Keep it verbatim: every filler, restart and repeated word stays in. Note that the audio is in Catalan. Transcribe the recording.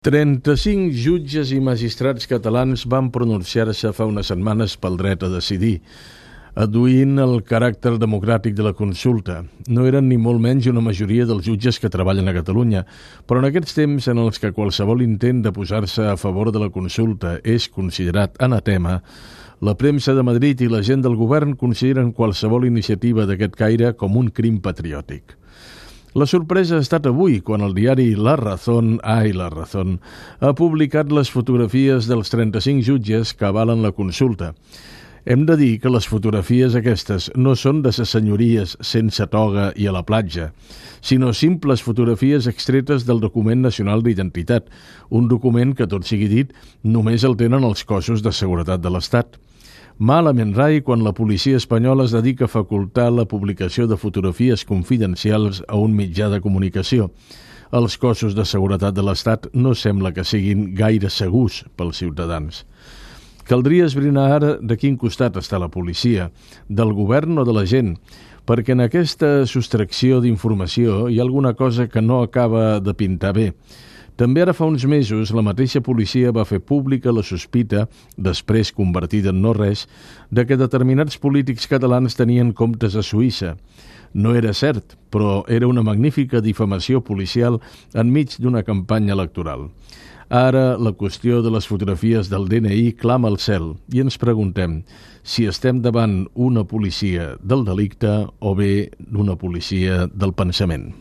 trenta-cinc jutges i magistrats catalans van pronunciar-se fa unes setmanes pel dret a decidir, adduint el caràcter democràtic de la consulta. No eren ni molt menys una majoria dels jutges que treballen a Catalunya, però en aquests temps en els que qualsevol intent de posar-se a favor de la consulta és considerat anatema, la premsa de Madrid i la gent del govern consideren qualsevol iniciativa d'aquest caire com un crim patriòtic. La sorpresa ha estat avui, quan el diari La Razón, ai, La Razón, ha publicat les fotografies dels trenta-cinc jutges que avalen la consulta. Hem de dir que les fotografies aquestes no són de ses senyories sense toga i a la platja, sinó simples fotografies extretes del document nacional d'identitat, un document que, tot sigui dit, només el tenen els cossos de seguretat de l'Estat. Malament rai quan la policia espanyola es dedica a facultar la publicació de fotografies confidencials a un mitjà de comunicació. Els cossos de seguretat de l'Estat no sembla que siguin gaire segurs pels ciutadans. Caldria esbrinar ara de quin costat està la policia, del govern o de la gent, perquè en aquesta sostracció d'informació hi ha alguna cosa que no acaba de pintar bé. També ara fa uns mesos la mateixa policia va fer pública la sospita, després convertida en no res, de que determinats polítics catalans tenien comptes a Suïssa. No era cert, però era una magnífica difamació policial enmig d'una campanya electoral. Ara la qüestió de les fotografies del D N I clama al cel i ens preguntem si estem davant una policia del delicte o bé d'una policia del pensament.